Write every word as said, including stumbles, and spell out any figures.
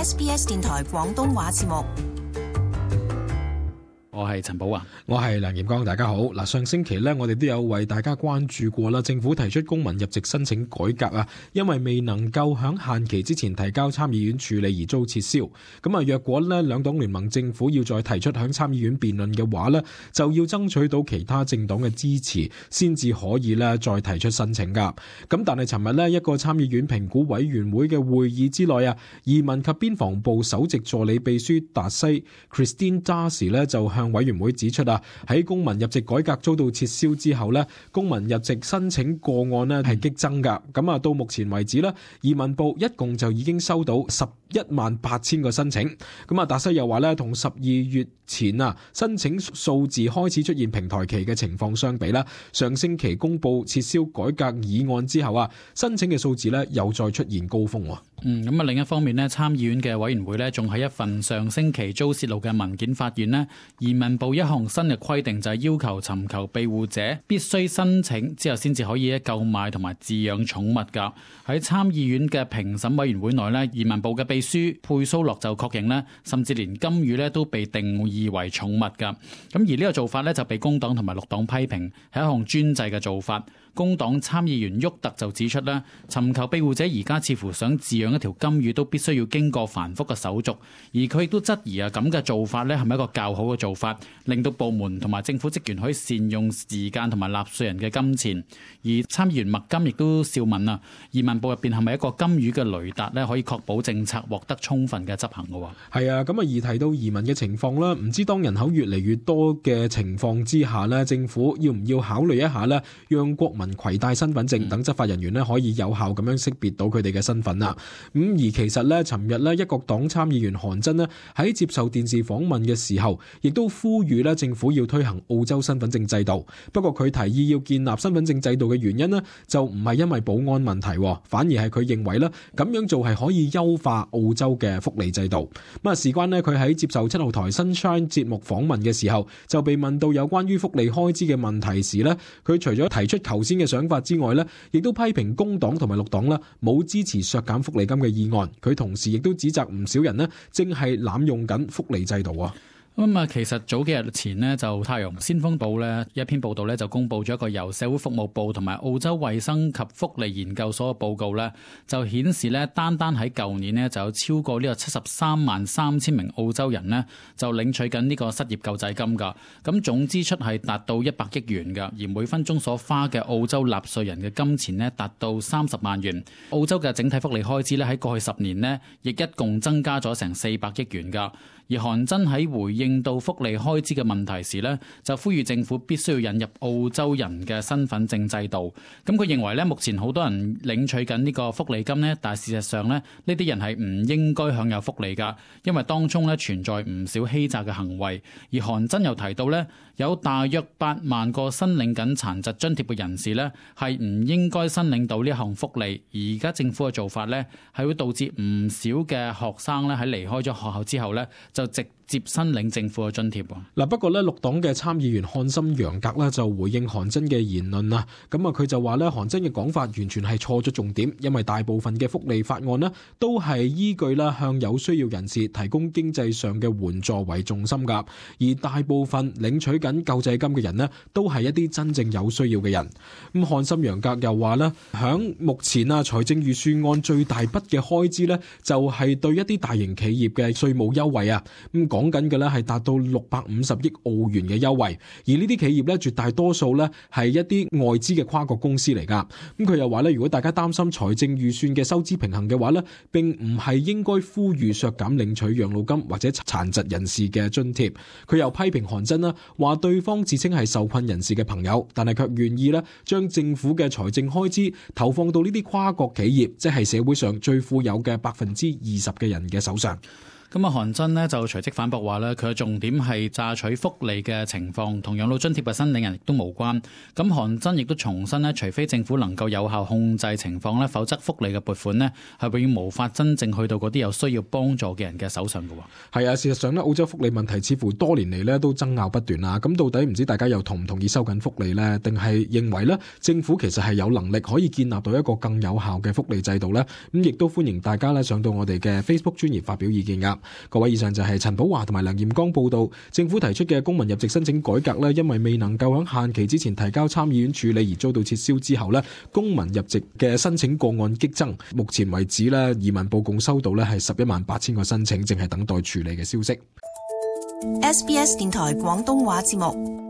S B S 電台廣東話節目。我係陳寶華，我係梁炎光，大家好。嗱，上星期咧，我哋都有為大家關注過啦。政府提出公民入籍申請改革啊，因為未能夠響限期之前提交參議院處理而遭撤銷。咁啊，若果咧兩黨聯盟政府要再提出響參議院辯論嘅話咧，就要爭取到其他政黨嘅支持，先至可以咧再提出申請噶。咁但係尋日咧一個參議院評估委員會嘅會議之內啊，移民及邊防部首席助理秘書達西 Christine Darcy 咧就向委員會指出啊，喺公民入籍改革遭到撤銷之後呢，公民入籍申請個案呢係激增噶。咁啊，到目前為止呢，移民部一共就已經收到十一萬八千個申請。咁啊，達西又話呢，同十二月前啊申請數字開始出現平台期嘅情況相比啦，上星期公布撤銷改革議案之後啊，申請嘅數字呢又再出現高峰。嗯，咁啊，另一方面呢，參議院嘅委員會呢，仲喺一份上星期遭泄露嘅文件發現呢，移民部一項新嘅規定就係要求尋求庇護者必須申請之後先至可以購買同埋飼養寵物噶。喺參議院嘅評審委員會內呢，移民部嘅秘書佩蘇洛就確認呢，甚至連金魚呢都被定義為寵物噶。咁而呢個做法呢，就被工黨同埋綠黨批評係一項專制嘅做法。工黨參議員沃特就指出咧，尋求庇護者而家似乎想飼養一條金魚都必須要經過繁複嘅手續，而佢亦都質疑啊，咁嘅做法咧係咪一個較好嘅做法，令到部門同埋政府職員可以善用時間同埋納稅人嘅金錢。而參議員麥金亦都笑問啊，移民部入邊係咪一個金魚嘅雷達咧，可以確保政策獲得充分嘅執行嘅喎？係啊，咁啊，而提到移民嘅情況啦，唔知當人口越嚟越多嘅情況之下呢，政府要唔要考慮一下呢，讓國民攜帶身份證等執法人員咧可以有效咁樣識別到佢哋嘅身份啦。咁而其實咧，尋日咧一國黨參議員韓真咧喺接受電視訪問嘅時候，亦都呼籲咧政府要推行澳洲身份證制度。不過佢提議要建立身份證制度嘅原因咧，就唔係因為保安問題，反而係佢認為咧咁樣做係可以優化澳洲嘅福利制度。咁啊，事關咧佢喺接受七號台 Sunshine 節目訪問嘅時候，就被問到有關於福利開支嘅問題時咧，佢除咗提出頭先嘅想法之外呢，亦都批評工黨同埋綠黨啦，冇支持削減福利金嘅議案。佢同時亦都指責唔少人呢，正係濫用緊福利制度啊。咁啊，其實早幾日前呢，就《太陽先鋒報》呢一篇報道呢，就公布咗一個由社會服務部同埋澳洲衛生及福利研究所嘅報告呢，就顯示呢，單單喺舊年呢，就有超過呢個七十三萬三千名澳洲人呢，就領取緊呢個失業救濟金㗎。咁總支出係達到一百億元㗎，而每分鐘所花嘅澳洲納稅人嘅金錢呢，達到三十萬元。澳洲嘅整體福利開支呢，喺過去十年呢，亦一共增加咗成四百億元㗎。而韓真喺回應到福利開支嘅問題時呢，就呼籲政府必須要引入澳洲人嘅身份證制度。咁佢認為呢，目前好多人領取緊呢個福利金呢，但係事實上呢，呢啲人係唔應該享有福利㗎，因為當中呢存在唔少欺詐嘅行為。而韓真又提到呢，有大約八萬個申領緊殘疾津貼嘅人士呢，係唔應該申領到呢項福利。而家政府嘅做法呢，係會導致唔少嘅學生呢，喺離開咗學校之後呢，就直接申領政府嘅津貼。嗱，不過咧，綠黨嘅參議員漢森楊格咧就回應韓真嘅言論啊，咁啊佢就話咧，韓真嘅講法完全係錯咗重點，因為大部分嘅福利法案呢都係依據啦向有需要人士提供經濟上嘅援助為重心噶，而大部分領取緊救濟金嘅人呢都係一啲真正有需要嘅人。咁漢森楊格又話咧，響目前啊財政預算案最大筆嘅開支呢，就係對一啲大型企業嘅稅務優惠啊，咁講緊嘅咧係達到六百五十億澳元嘅優惠，而呢啲企業咧絕大多數咧係一啲外資嘅跨國公司嚟噶。咁佢又話咧，如果大家擔心財政預算嘅收支平衡嘅話咧，並唔係應該呼籲削減領取養老金或者殘疾人士嘅津貼。佢又批評韓真啦，話對方自稱係受困人士嘅朋友，但係卻願意咧將政府嘅財政開支投放到呢啲跨國企業，即係社會上最富有嘅百分之二十嘅人嘅手上。咁啊，韓真呢就隨即反駁話呢，佢嘅重點係榨取福利嘅情況，同養老津貼嘅申領人亦都無關。咁韓真亦都重申呢，除非政府能夠有效控制情況呢，否則福利嘅撥款呢係永遠無法真正去到嗰啲有需要幫助嘅人嘅手上嘅。係啊，事實上呢，澳洲福利問題似乎多年嚟呢都爭拗不斷啊。咁到底唔知大家又同唔同意收緊福利呢？定係認為呢政府其實係有能力可以建立到一個更有效嘅福利制度呢？咁亦都歡迎大家呢上到我哋嘅 Facebook 專頁發表意見噶。各位，以上就係陳寶華同埋梁彥剛報道，政府提出嘅公民入籍申請改革呢，因為未能夠喺限期之前提交參議院處理而遭到撤銷之後呢，公民入籍嘅申請個案激增。目前為止呢，移民部共收到呢係十一萬八千個申請，正係等待處理嘅消息。S B S 電台廣東話節目。